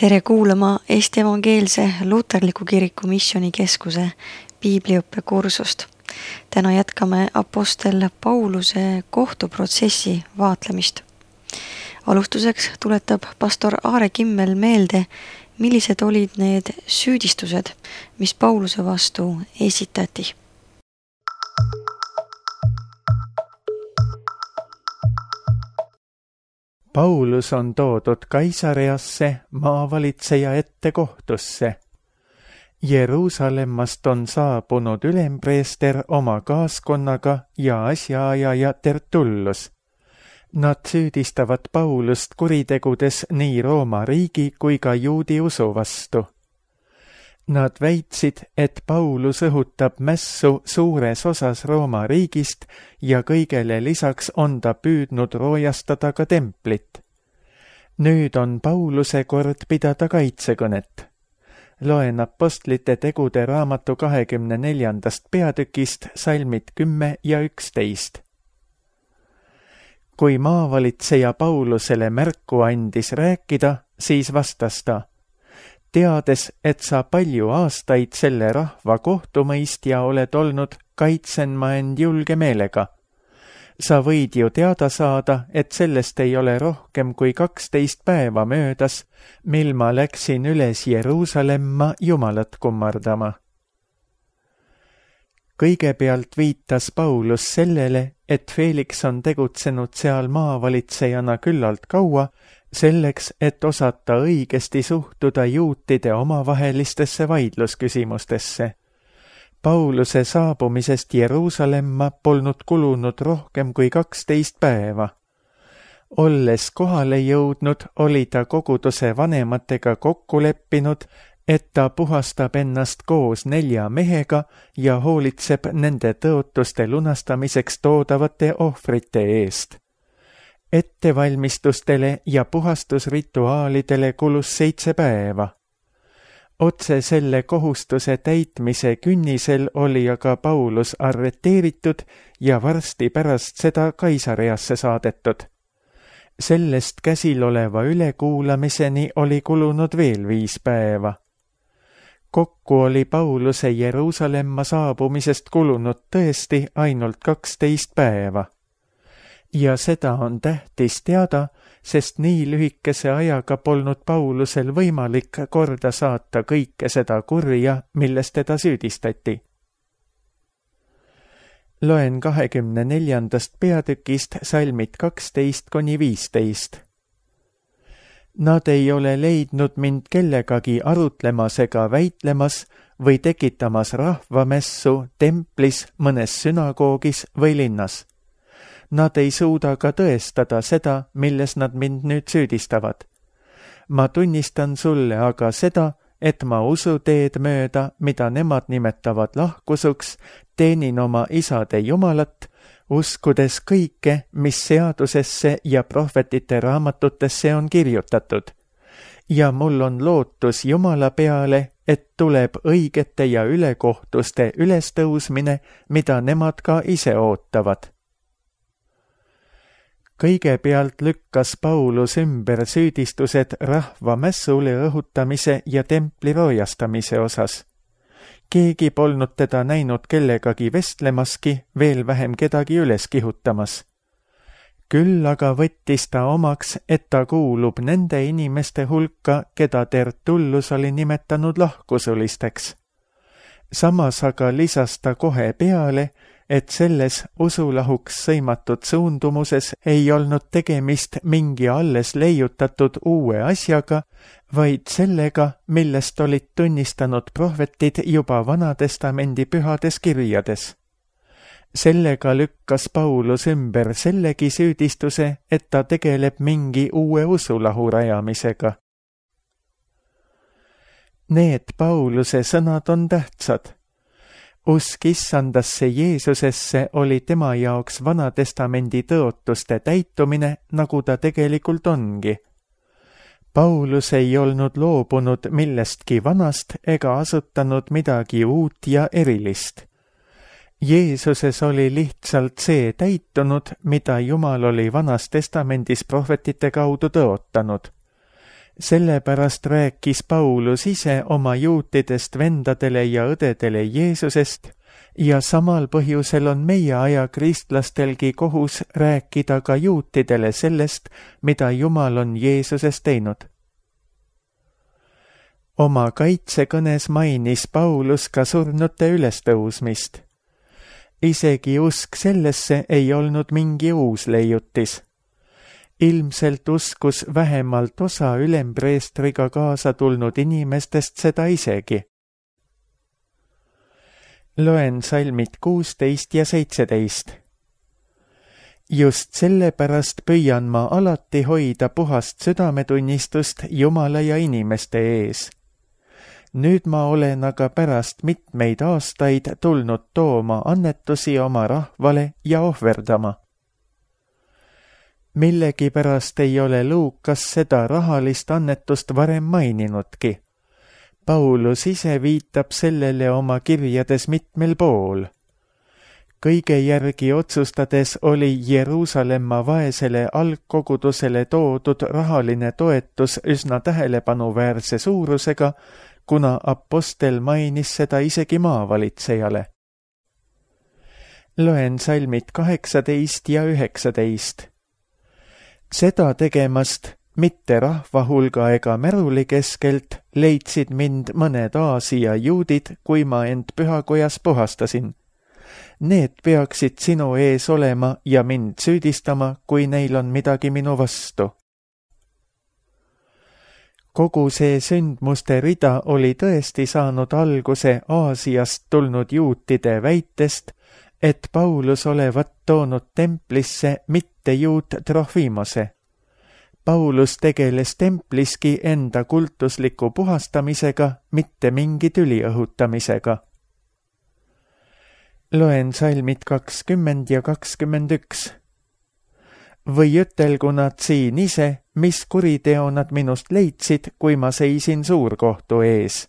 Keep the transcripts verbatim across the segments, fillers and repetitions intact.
Tere kuulama Eesti Evangeelse Luterliku Kiriku Missioonikeskuse piibliõppe kursust. Täna jätkame apostel Pauluse kohtuprotsessi vaatlemist. Alustuseks tuletab pastor Aare Kimmel meelde, millised olid need süüdistused, mis Pauluse vastu esitati. Paulus on toodud Kaisareasse maavalitseja ette kohtusse. Jeruusalemmast on saabunud ülempreester oma kaaskonnaga ja asjaajaja Tertullus. Nad süüdistavad Paulust kuritegudes nii Rooma riigi kui ka juudi usu vastu. Nad väitsid, et Paulus õhutab mässu suures osas Rooma riigist ja kõigele lisaks on ta püüdnud roojastada ka templit. Nüüd on Pauluse kord pidada kaitsekõnet. Loen apostlite tegude raamatu kahekümne neljandast peatükist salmid kümme ja üksteist. Kui maavalitseja Paulusele märku andis rääkida, siis vastas ta: teades, et sa palju aastaid selle rahva kohtumõistja oled olnud, kaitsen ma end julge meelega. Sa võid ju teada saada, et sellest ei ole rohkem kui kaksteist päeva möödas, mil ma läksin üles Jeruusalemma Jumalat kummardama. Kõigepealt viitas Paulus sellele, et Felix on tegutsenud seal maavalitsejana küllalt kaua, selleks, et osata õigesti suhtuda juutide omavahelistesse vaidlusküsimustesse. Pauluse saabumisest Jeruusalemma polnud kulunud rohkem kui kaksteist päeva. Olles kohale jõudnud, oli ta koguduse vanematega kokku leppinud, et ta puhastab ennast koos nelja mehega ja hoolitseb nende tõotuste lunastamiseks toodavate ohvrite eest. Ettevalmistustele ja puhastusrituaalidele kulus seitse päeva. Otse selle kohustuse täitmise künnisel oli aga Paulus arreteeritud ja varsti pärast seda Kaisareasse saadetud. Sellest käsil oleva ülekuulamiseni oli kulunud veel viis päeva. Kokku oli Pauluse Jeruusalemma saabumisest kulunud tõesti ainult kaksteist päeva. Ja seda on tähtis teada, sest nii lühikese ajaga polnud Paulusel võimalik korda saata kõike seda kurja, milles teda süüdistati. Loen kahekümne neljandast peatükist salmid kaksteist kuni viisteist. Nad ei ole leidnud mind kellegagi arutlemas ega väitlemas või tekitamas rahvamessu templis, mõnes sünagoogis või linnas. Nad ei suuda ka tõestada seda, milles nad mind nüüd süüdistavad. Ma tunnistan sulle aga seda, et ma usuteed mööda, mida nemad nimetavad lahkusuks, teenin oma isade Jumalat, uskudes kõike, mis seadusesse ja prohvetite raamatutesse on kirjutatud. Ja mul on lootus Jumala peale, et tuleb õigete ja ülekohtuste ülestõusmine, mida nemad ka ise ootavad. Kõigepealt lükkas Paulus ümber süüdistused rahva mässule õhutamise ja templi roojastamise osas. Keegi polnud teda näinud kellegagi vestlemaski, veel vähem kedagi üles kihutamas. Küll aga võttis ta omaks, et ta kuulub nende inimeste hulka, keda Tertullus oli nimetanud lahkusulisteks. Samas aga lisas ta kohe peale, et selles usulahuks sõimatud suundumuses ei olnud tegemist mingi alles leiutatud uue asjaga, vaid sellega, millest olid tunnistanud prohvetid juba Vanatestamendi pühades kirjades. Sellega lükkas Paulus ümber sellegi süüdistuse, et ta tegeleb mingi uue usulahu rajamisega. Need Pauluse sõnad on tähtsad. Usk issandasse Jeesusesse oli tema jaoks Vanatestamendi tõotuste täitumine, nagu ta tegelikult ongi. Paulus ei olnud loobunud millestki vanast ega asutanud midagi uut ja erilist. Jeesuses oli lihtsalt see täitunud, mida Jumal oli Vanas Testamendis prohvetite kaudu tõotanud. Sellepärast rääkis Paulus ise oma juutidest vendadele ja õdedele Jeesusest ja samal põhjusel on meie aja kristlastelgi kohus rääkida ka juutidele sellest, mida Jumal on Jeesuses teinud. Oma kaitsekõnes mainis Paulus ka surnute ülestõusmist. Isegi usk sellesse ei olnud mingi uus leiutis. Ilmselt uskus vähemalt osa ülempreestriga kaasa tulnud inimestest seda isegi. Loen salmid kuusteist ja seitseteist. Just sellepärast püüan ma alati hoida puhast südametunnistust Jumala ja inimeste ees. Nüüd ma olen aga pärast mitmeid aastaid tulnud tooma annetusi oma rahvale ja ohverdama. Millegipärast ei ole Luukas seda rahalist annetust varem maininudki. Paulus ise viitab sellele oma kirjades mitmel pool. Kõige järgi otsustades oli Jeruusalemma vaesele algkogudusele toodud rahaline toetus üsna tähelepanuväärse suurusega, kuna apostel mainis seda isegi maavalitsejale. Loen salmid kaheksateist ja üheksateist. Seda tegemast, mitte rahva hulga ega märuli keskelt, leidsid mind mõned Aasia juudid, kui ma end pühakojas puhastasin. Need peaksid sinu ees olema ja mind süüdistama, kui neil on midagi minu vastu. Kogu see sündmuste rida oli tõesti saanud alguse Aasiast tulnud juutide väitest, et Paulus olevat toonud templisse mitte juut Trofimose. Paulus tegeles templiski enda kultusliku puhastamisega, mitte mingi tüli õhutamisega. Loen salmid kakskümmend ja kakskümmend üks. Või ütelgu nad siin ise, mis kuriteo nad minust leidsid, kui ma seisin suurkohtu ees.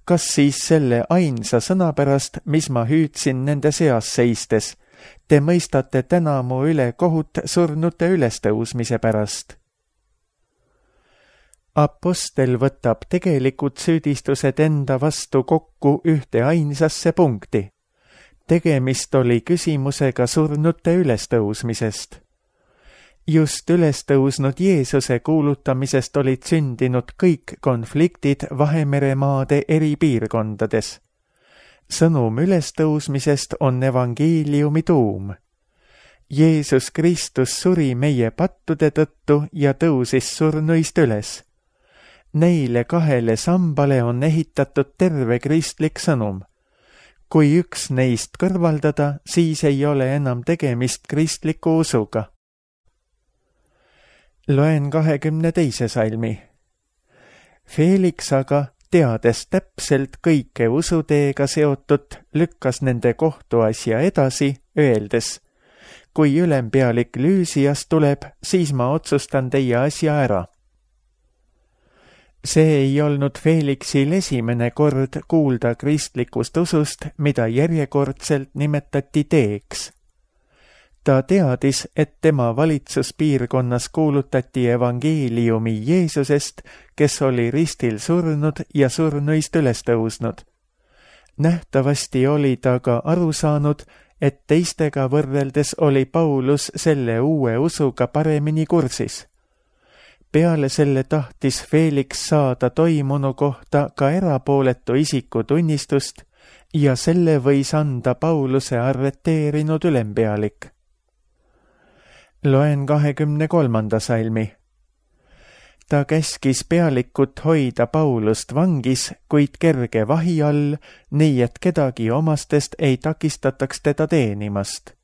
Kas siis selle ainsa sõna pärast, mis ma hüüdsin nende seas seistes, te mõistate täna mu üle kohut surnute ülestõusmise pärast? Apostel võtab tegelikud süüdistused enda vastu kokku ühte ainsasse punkti. Tegemist oli küsimusega surnute ülestõusmisest. Just ülestõusnud Jeesuse kuulutamisest olid sündinud kõik konfliktid Vahemere maade eri piirkondades. Sõnum ülestõusmisest on evangeeliumi tuum. Jeesus Kristus suri meie pattude tõttu ja tõusis surnuist üles. Neile kahele sambale on ehitatud terve kristlik sõnum. Kui üks neist kõrvaldada, siis ei ole enam tegemist kristliku usuga. Loen kahekümne teise salmi. Felix aga, teades täpselt kõike usuteega seotut, lükkas nende kohtuasja edasi, öeldes, kui ülempealik Lüüsias tuleb, siis ma otsustan teie asja ära. See ei olnud Felixil esimene kord kuulda kristlikust usust, mida järjekordselt nimetati teeks. Ta teadis, et tema valitsuspiirkonnas kuulutati evangeeliumi Jeesusest, kes oli ristil surnud ja surnuist üles tõusnud. Nähtavasti oli ta ka aru saanud, et teistega võrreldes oli Paulus selle uue usuga paremini kursis. Peale selle tahtis Felix saada toimunu kohta ka erapooletu isiku tunnistust ja selle võis anda Pauluse arreteerinud ülempealik. Loen kahekümne kolmanda salmi. Ta käskis pealikut hoida Paulust vangis, kuid kerge vahi all, nii et kedagi omastest ei takistataks teda teenimast.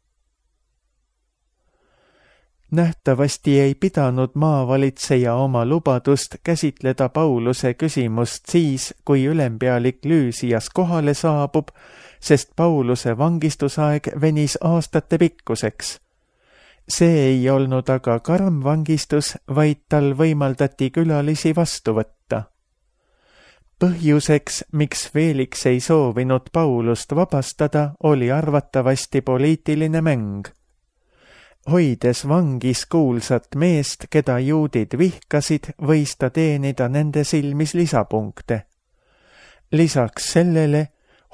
Nähtavasti ei pidanud maavalitseja oma lubadust käsitleda Pauluse küsimust siis, kui ülempealik Lüüsias kohale saabub, sest Pauluse vangistusaeg venis aastate pikkuseks. See ei olnud aga karm vangistus, vaid tal võimaldati külalisi vastu võtta. Põhjuseks, miks Felix ei soovinud Paulust vabastada, oli arvatavasti poliitiline mäng. Hoides vangis kuulsat meest, keda juudid vihkasid, võis ta teenida nende silmis lisapunkte. Lisaks sellele,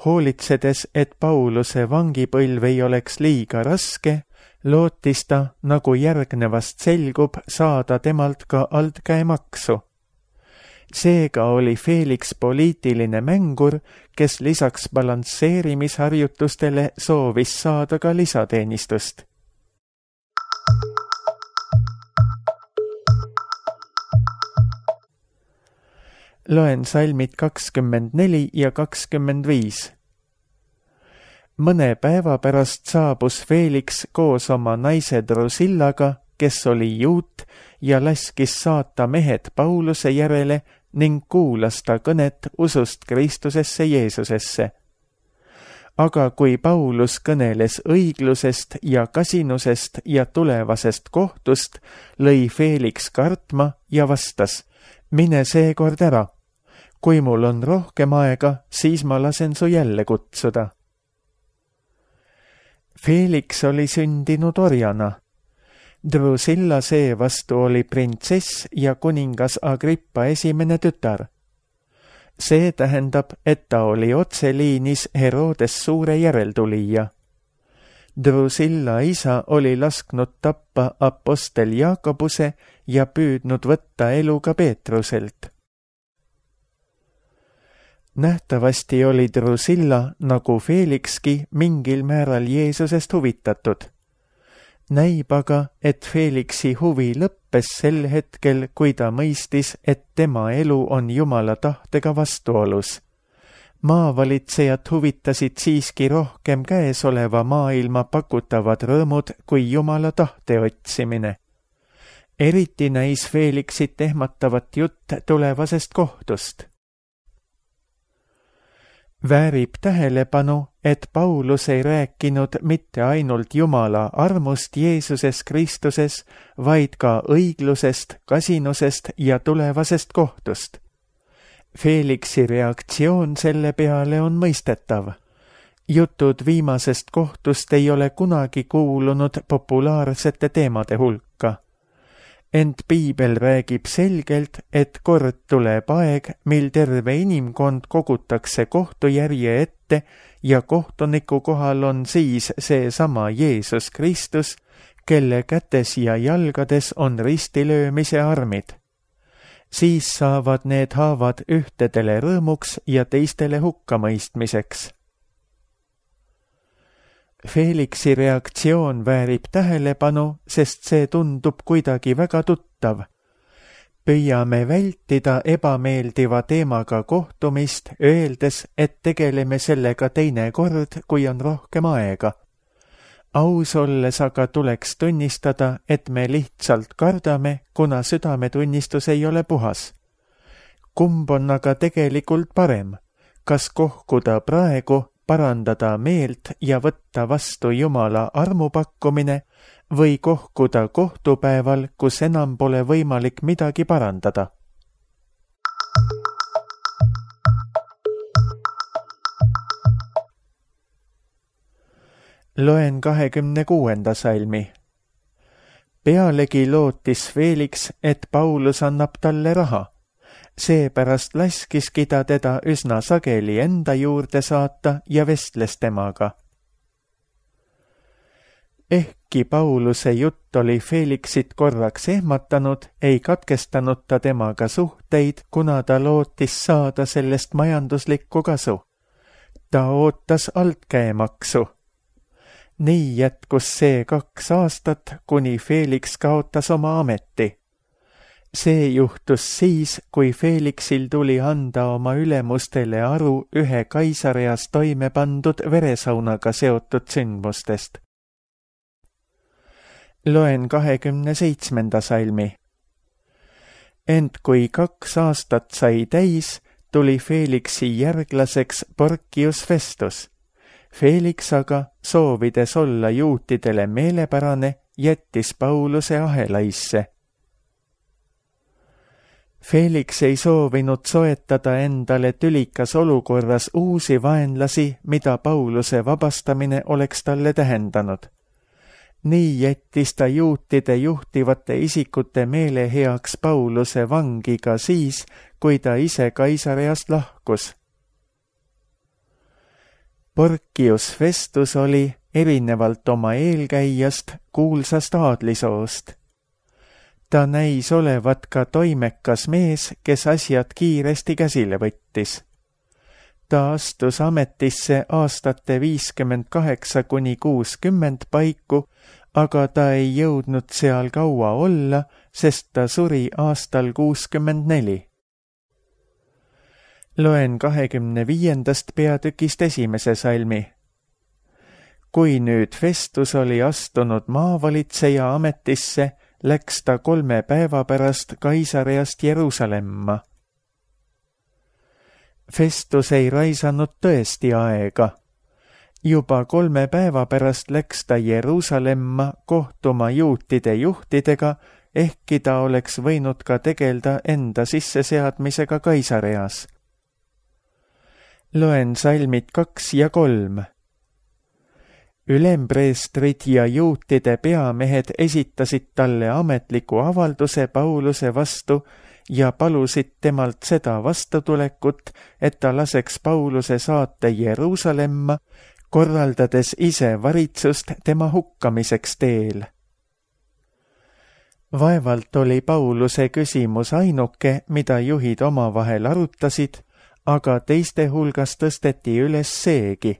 hoolitsedes, et Pauluse vangipõlv ei oleks liiga raske, lootis ta, nagu järgnevast selgub, saada temalt ka altkäemaksu. Seega oli Felix poliitiline mängur, kes lisaks balansseerimisharjutustele soovis saada ka lisateenistust. Loen salmid kakskümmend neli ja kakskümmend viis. Mõne päeva pärast saabus Felix koos oma naise Drusillaga, kes oli juut, ja laskis saata mehed Pauluse järele ning kuulas ta kõnet usust Kristusesse Jeesusesse. Aga kui Paulus kõneles õiglusest ja kasinusest ja tulevasest kohtust, lõi Felix kartma ja vastas, mine seekord ära. Kui mul on rohkem aega, siis ma lasen su jälle kutsuda. Felix oli sündinud orjana. Drusilla seevastu oli printsess ja kuningas Agrippa esimene tütar. See tähendab, et ta oli otseliinis Herodes suure järeltulija. Drusilla isa oli lasknud tappa apostel Jaakobuse ja püüdnud võtta elu ka Peetruselt. Nähtavasti oli Drusilla, nagu Felixki, mingil määral Jeesusest huvitatud. Näib aga, et Felixi huvi lõppes sel hetkel, kui ta mõistis, et tema elu on Jumala tahtega vastuolus. Maavalitsejad huvitasid siiski rohkem käesoleva maailma pakutavad rõõmud kui Jumala tahte otsimine. Eriti näis Felixit ehmatavat jutt tulevasest kohtust. Väärib tähelepanu, et Paulus ei rääkinud mitte ainult Jumala armust Jeesuses Kristuses, vaid ka õiglusest, kasinusest ja tulevasest kohtust. Felixi reaktsioon selle peale on mõistetav. Jutud viimasest kohtust ei ole kunagi kuulunud populaarsete teemade hulka. Ent Piibel räägib selgelt, et kord tuleb aeg, mil terve inimkond kogutakse kohtujärje ette ja kohtuniku kohal on siis seesama Jeesus Kristus, kelle kätes ja jalgades on ristilöömise armid. Siis saavad need haavad ühtedele rõõmuks ja teistele hukkamõistmiseks. Felixi reaktsioon väärib tähelepanu, sest see tundub kuidagi väga tuttav. Püüame vältida ebameeldiva teemaga kohtumist, öeldes, et tegeleme sellega teine kord, kui on rohkem aega. Aus olles aga tuleks tunnistada, et me lihtsalt kardame, kuna südametunnistus ei ole puhas. Kumb on aga tegelikult parem? Kas kohkuda praegu, parandada meelt ja võtta vastu Jumala armupakkumine või kohkuda kohtupäeval, kus enam pole võimalik midagi parandada? Loen kahekümne kuuenda salmi. Pealegi lootis Felix, et Paulus annab talle raha. Seepärast laskiski ta teda üsna sageli enda juurde saata ja vestles temaga. Ehkki Pauluse jutt oli Felixit korraks ehmatanud, ei katkestanud ta temaga suhteid, kuna ta lootis saada sellest majanduslikku kasu. Ta ootas altkäemaksu. Nii jätkus see kaks aastat, kuni Felix kaotas oma ameti. See juhtus siis, kui Felixil tuli anda oma ülemustele aru ühe Kaisareas toime pandud veresaunaga seotud sündmustest. Loen kahekümne seitsmenda salmi. Ent kui kaks aastat sai täis, tuli Felixi järglaseks Porcius Festus. Felix aga, soovides olla juutidele meelepärane, jättis Pauluse ahelaisse. Felix ei soovinud soetada endale tülikas olukorras uusi vaenlasi, mida Pauluse vabastamine oleks talle tähendanud. Nii jättis ta juutide juhtivate isikute meele heaks Pauluse vangi ka siis, kui ta ise Kaisareast lahkus. Porcius Festus oli, erinevalt oma eelkäijast, kuulsast aadlisoost. Ta näis olevat ka toimekas mees, kes asjad kiiresti käsile võttis. Ta astus ametisse aastate viiskümmend kaheksa kuni kuuskümmend paiku, aga ta ei jõudnud seal kaua olla, sest ta suri aastal kuuskümmend neli. Loen kahekümne viiendast peatükist esimese salmi. Kui nüüd Festus oli astunud maavalitseja ametisse, läks ta kolme päeva pärast Kaisareast Jeruusalemma. Festus ei raisanud tõesti aega. Juba kolme päeva pärast läks ta Jeruusalemma kohtuma juutide juhtidega, ehkki ta oleks võinud ka tegelda enda sisseseadmisega Kaisareas. Loen salmid kaks ja kolm. Ülempreestrid ja juutide peamehed esitasid talle ametliku avalduse Pauluse vastu ja palusid temalt seda vastutulekut, et ta laseks Pauluse saata Jeruusalemma, korraldades ise varitsust tema hukkamiseks teel. Vaevalt oli Pauluse küsimus ainuke, mida juhid omavahel arutasid, aga teiste hulgas tõsteti üles seegi.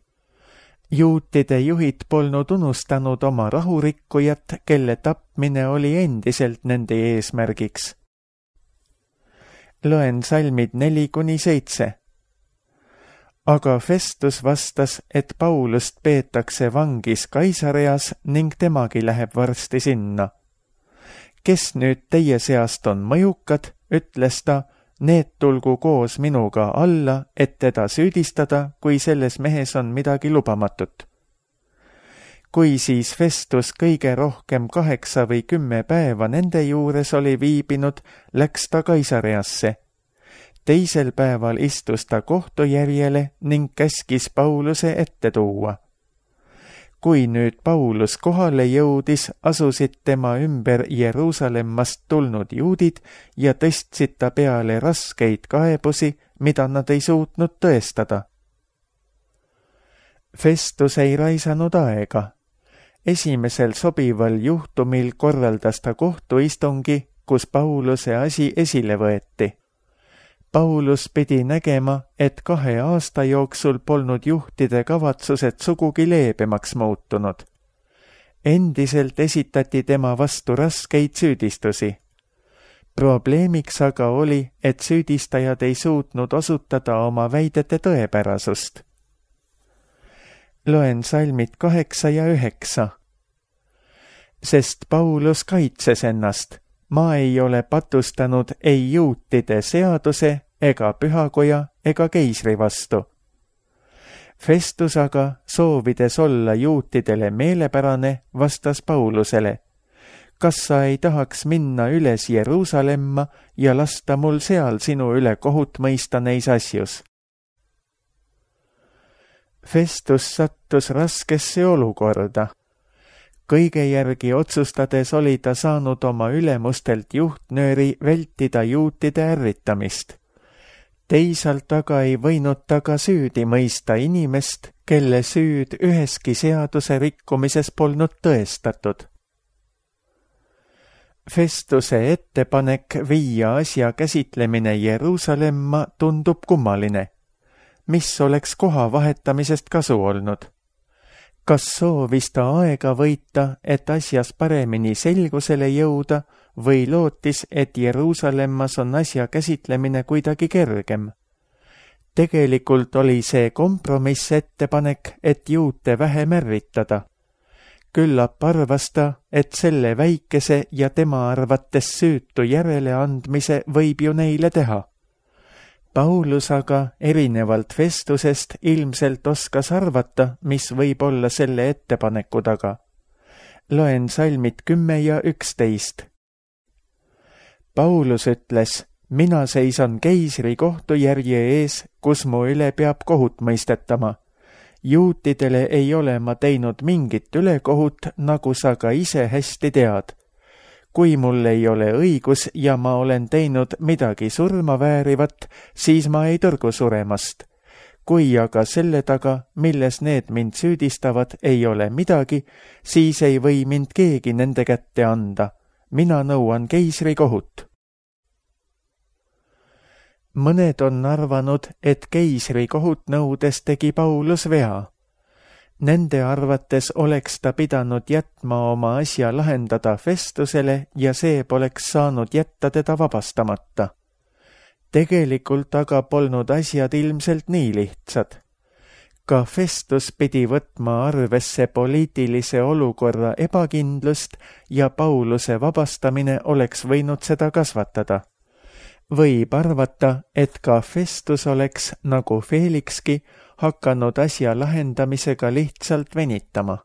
Juutide juhid polnud unustanud oma rahurikkujat, kelle tapmine oli endiselt nende eesmärgiks. Loen salmid neli kuni seitse. Aga Festus vastas, et Paulust peetakse vangis Kaisareas ning temagi läheb varsti sinna. Kes nüüd teie seast on mõjukad, ütles ta, need tulgu koos minuga alla, et teda süüdistada, kui selles mehes on midagi lubamatut. Kui siis Festus kõige rohkem kaheksa või kümme päeva nende juures oli viibinud, läks ta Kaisareasse. Teisel päeval istus ta kohtujärjele ning käskis Pauluse ette tuua. Kui nüüd Paulus kohale jõudis, asusid tema ümber Jeruusalemmast tulnud juudid ja tõstsid ta peale raskeid kaebusi, mida nad ei suutnud tõestada. Festus ei raisanud aega. Esimesel sobival juhtumil korraldas ta kohtuistungi, kus Pauluse asi esile võeti. Paulus pidi nägema, et kahe aasta jooksul polnud juhtide kavatsused sugugi leebemaks muutunud. Endiselt esitati tema vastu raskeid süüdistusi. Probleemiks aga oli, et süüdistajad ei suutnud osutada oma väidete tõepärasust. Loen salmid kaheksa ja üheksa. Sest Paulus kaitses ennast. Ma ei ole patustanud ei juutide seaduse ega pühakoja ega keisri vastu. Festus aga, soovides olla juutidele meelepärane, vastas Paulusele. Kas sa ei tahaks minna üles Jeruusalemma ja lasta mul seal sinu üle kohut mõista neis asjus? Festus sattus raskesse olukorda. Kõige järgi otsustades oli ta saanud oma ülemustelt juhtnööri vältida juutide ärritamist. Teisalt aga ei võinud ta ka süüdi mõista inimest, kelle süüd üheski seaduse rikkumises polnud tõestatud. Festuse ettepanek viia asja käsitlemine Jeruusalemma tundub kummaline. Mis oleks koha vahetamisest kasu olnud? Kas soovis ta aega võita, et asjas paremini selgusele jõuda, või lootis, et Jeruusalemmas on asja käsitlemine kuidagi kergem? Tegelikult oli see kompromiss ettepanek, et juute vähem ärritada. Küllap arvas ta, et selle väikese ja tema arvates süütu järeleandmise võib ju neile teha. Paulus aga, erinevalt Festusest, ilmselt oskas arvata, mis võib olla selle ettepaneku taga. Loen salmid kümme ja üksteist. Paulus ütles, mina seisan keisri kohtujärje ees, kus mu üle peab kohut mõistetama. juutidele ei ole ma teinud mingit ülekohut, nagu sa ka ise hästi tead. Kui mul ei ole õigus ja ma olen teinud midagi surma väärivat, siis ma ei tõrgu suremast. Kui aga selle taga, milles need mind süüdistavad, ei ole midagi, siis ei või mind keegi nende kätte anda. Mina nõuan keisri kohut. Mõned on arvanud, et keisri kohut nõudes tegi Paulus vea. Nende arvates oleks ta pidanud jätma oma asja lahendada Festusele ja see poleks saanud jätta teda vabastamata. Tegelikult aga polnud asjad ilmselt nii lihtsad. Ka Festus pidi võtma arvesse poliitilise olukorra ebakindlust ja Pauluse vabastamine oleks võinud seda kasvatada. Võib arvata, et ka Festus oleks, nagu Felixki, hakanud asja lahendamisega lihtsalt venitama.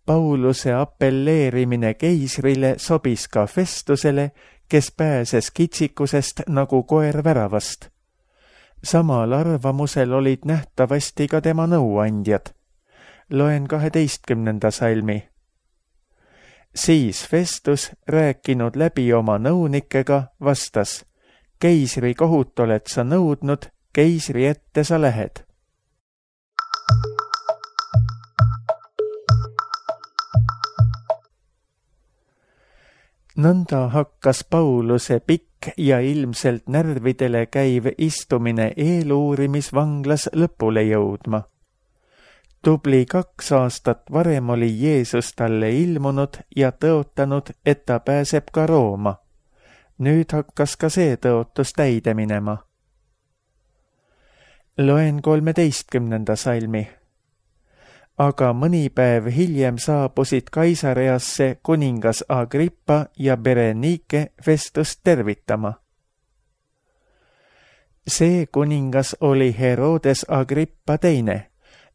Pauluse appelleerimine keisrile sobis ka Festusele, kes pääses kitsikusest nagu koer väravast. Samal arvamusel olid nähtavasti ka tema nõuandjad. Loen kaheteistkümnenda salmi. Siis Festus, rääkinud läbi oma nõunikega, vastas: keisri kohut oled sa nõudnud, keisri ette sa lähed. Nõnda hakkas Pauluse pikk ja ilmselt närvidele käiv istumine eeluurimisvanglas lõpule jõudma. Tubli kaks aastat varem oli Jeesus talle ilmunud ja tõotanud, et ta pääseb ka Rooma. Nüüd hakkas ka see tõotus täide minema. Loen kolmeteistkümnenda salmi. Aga mõni päev hiljem saabusid Kaisareasse kuningas Agrippa ja Berenike Festust tervitama. See kuningas oli Herodes Agrippa teine,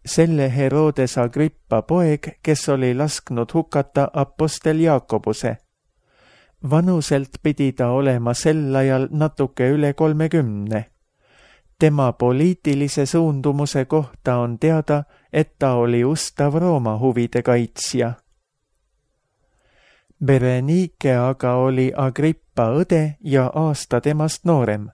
selle Herodes Agrippa poeg, kes oli lasknud hukata apostel Jaakobuse. Vanuselt pidi ta olema sel ajal natuke üle kolmekümne. Tema poliitilise suundumuse kohta on teada, et ta oli ustav Rooma huvide kaitsja. Berenike aga oli Agrippa õde ja aasta temast noorem.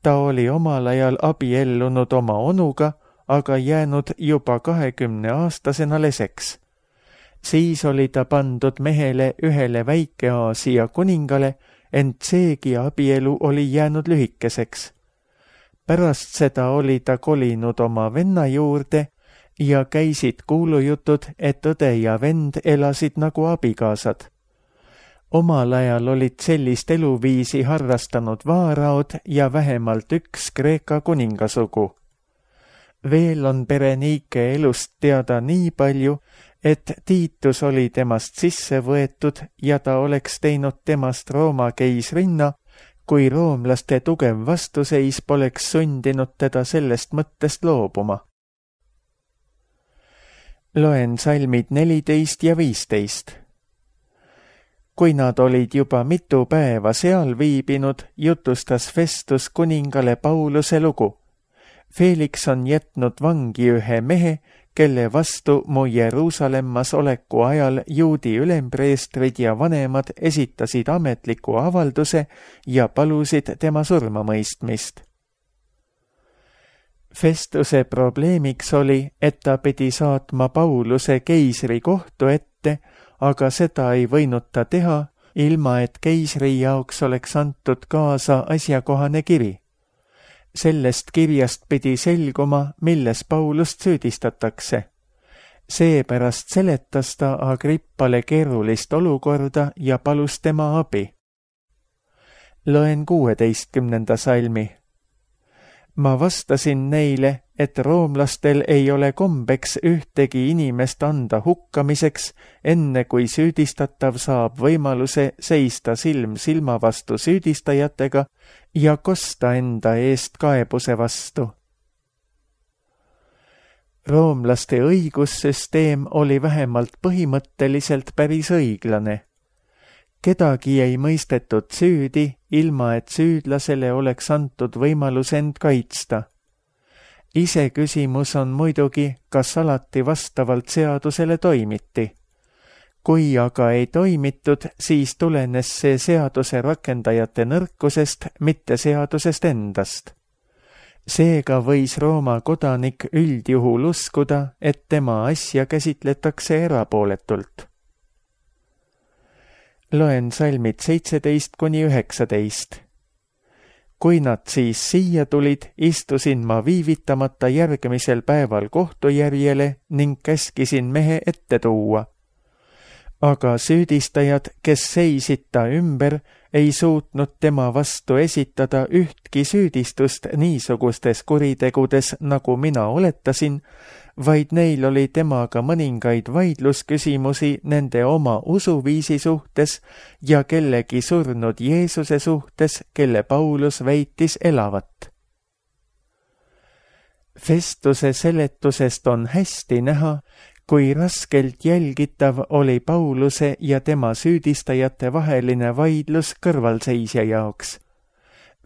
Ta oli omal ajal abiellunud oma onuga, aga jäänud juba kahekümneaastasena leseks. Siis oli ta pandud mehele ühele Väike-Aasia kuningale, ent seegi abielu oli jäänud lühikeseks. Pärast seda oli ta kolinud oma venna juurde ja käisid kuulujutud, et õde ja vend elasid nagu abikaasad. Omal ajal olid sellist eluviisi harrastanud vaaraod ja vähemalt üks Kreeka kuningasugu. Veel on Berenike elust teada nii palju, et Tiitus oli temast sisse võetud ja ta oleks teinud temast Rooma keisrinna, kui roomlaste tugev vastuseis poleks sundinud teda sellest mõttest loobuma. Loen salmid neliteist ja viisteist. Kui nad olid juba mitu päeva seal viibinud, jutustas Festus kuningale Pauluse lugu. Felix on jätnud vangi ühe mehe, kelle vastu mu Jeruusalemmas oleku ajal juudi ülempreestrid ja vanemad esitasid ametliku avalduse ja palusid tema surmamõistmist. Festuse probleemiks oli, et ta pidi saatma Pauluse keisri kohtu ette, aga seda ei võinud ta teha, ilma et keisri jaoks oleks antud kaasa asjakohane kiri. Sellest kirjast pidi selguma, milles Paulust süüdistatakse. Seepärast seletas ta Agrippale keerulist olukorda ja palus tema abi. Loen kuueteistkümnenda salmi. Ma vastasin neile, et roomlastel ei ole kombeks ühtegi inimest anda hukkamiseks, enne kui süüdistatav saab võimaluse seista silm silma vastu süüdistajatega ja kosta enda eest kaebuse vastu. Roomlaste õigussüsteem oli vähemalt põhimõtteliselt päris õiglane. Kedagi ei mõistetud süüdi, ilma et süüdlasele oleks antud võimalus end kaitsta. Ise küsimus on muidugi, kas alati vastavalt seadusele toimiti. Kui aga ei toimitud, siis tulenes see seaduse rakendajate nõrkusest, mitte seadusest endast. Seega võis Rooma kodanik üldjuhul uskuda, et tema asja käsitletakse erapooletult. Loen salmid seitseteist kuni üheksateist. Kui nad siis siia tulid, istusin ma viivitamata järgmisel päeval kohtujärjele ning käskisin mehe ette tuua. Aga süüdistajad, kes seisid ta ümber, ei suutnud tema vastu esitada ühtki süüdistust niisugustes kuritegudes, nagu mina oletasin, vaid neil oli temaga mõningaid vaidlusküsimusi nende oma usuviisi suhtes ja kellegi surnud Jeesuse suhtes, kelle Paulus väitis elavat. Festuse seletusest on hästi näha, kui raskelt jälgitav oli Pauluse ja tema süüdistajate vaheline vaidlus kõrvalseisja jaoks.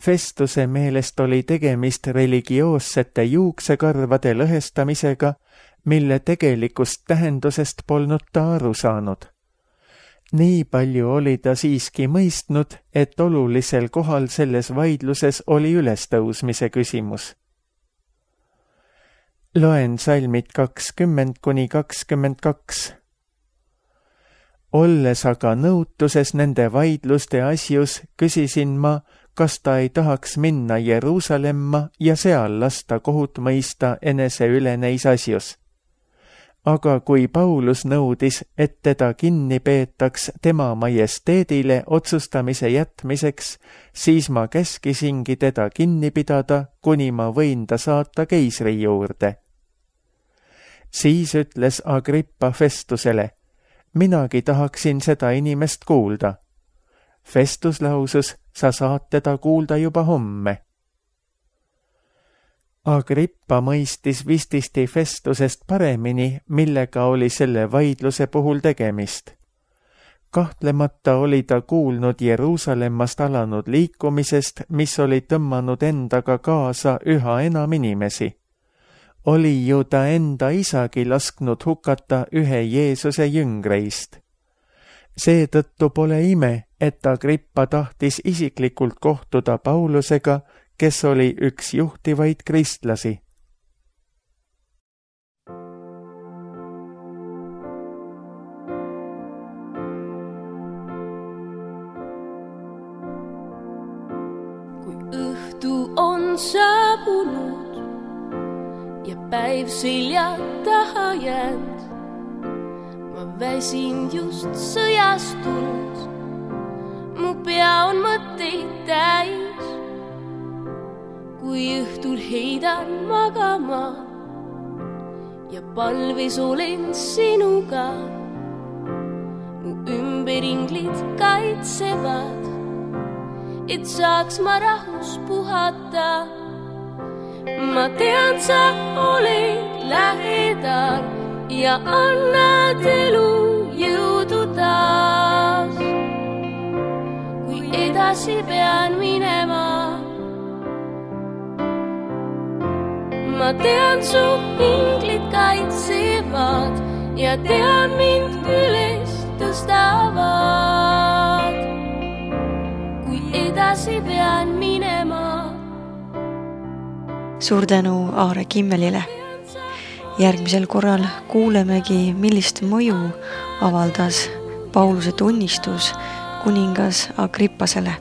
Festuse meelest oli tegemist religioossete juuksekarvade lõhestamisega, mille tegelikust tähendusest polnud ta aru saanud. Nii palju oli ta siiski mõistnud, et olulisel kohal selles vaidluses oli ülestõusmise küsimus. Loen salmid kakskümmend kuni kakskümmend kaks. Olles aga nõutuses nende vaidluste asjus, küsisin ma, kas ta ei tahaks minna Jeruusalemma ja seal lasta kohut mõista enese üle neis asjus. Aga kui Paulus nõudis, et teda kinni peetaks tema majesteedile otsustamise jätmiseks, siis ma käskisingi teda kinni pidada, kuni ma võin ta saata keisri juurde. Siis ütles Agrippa Festusele, minagi tahaksin seda inimest kuulda. Festus lausus, sa saad teda kuulda juba homme. Agrippa mõistis vististi Festusest paremini, millega oli selle vaidluse puhul tegemist. Kahtlemata oli ta kuulnud Jeruusalemmast alanud liikumisest, mis oli tõmmanud endaga kaasa üha enam inimesi. Oli ju ta enda isagi lasknud hukata ühe Jeesuse jüngreist. Seetõttu pole ime, et Agrippa tahtis isiklikult kohtuda Paulusega, kes oli üks juhtivaid kristlasi. Kui õhtu on saabunud ja päev selja taha jäänud, ma väsin just sõjast tulnud, mu pea on mõtteid täis. Kui õhtul heidan magama ja palves olen sinuga, mu ümberinglid kaitsevad, et saaks ma rahus puhata. Ma tean, sa oled lähedal ja annad elu jõudu taas. Kui edasi pean minema, ma tean, su inglid kaitsevad ja tean, mind üles tõstavad. Kui edasi pean minema. Suur tänu Aare Kimmelile. Järgmisel korral kuulemegi, millist mõju avaldas Pauluse tunnistus kuningas Agrippasele.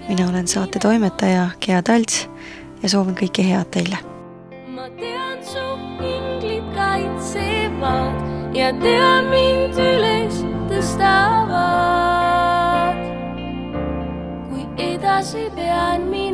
Mina olen saate toimetaja Gea Talts ja soovin kõike head teile. Ma tean, su inglid kaitsevad ja tean, mind üles tõstavad. Kui edasi pean minema.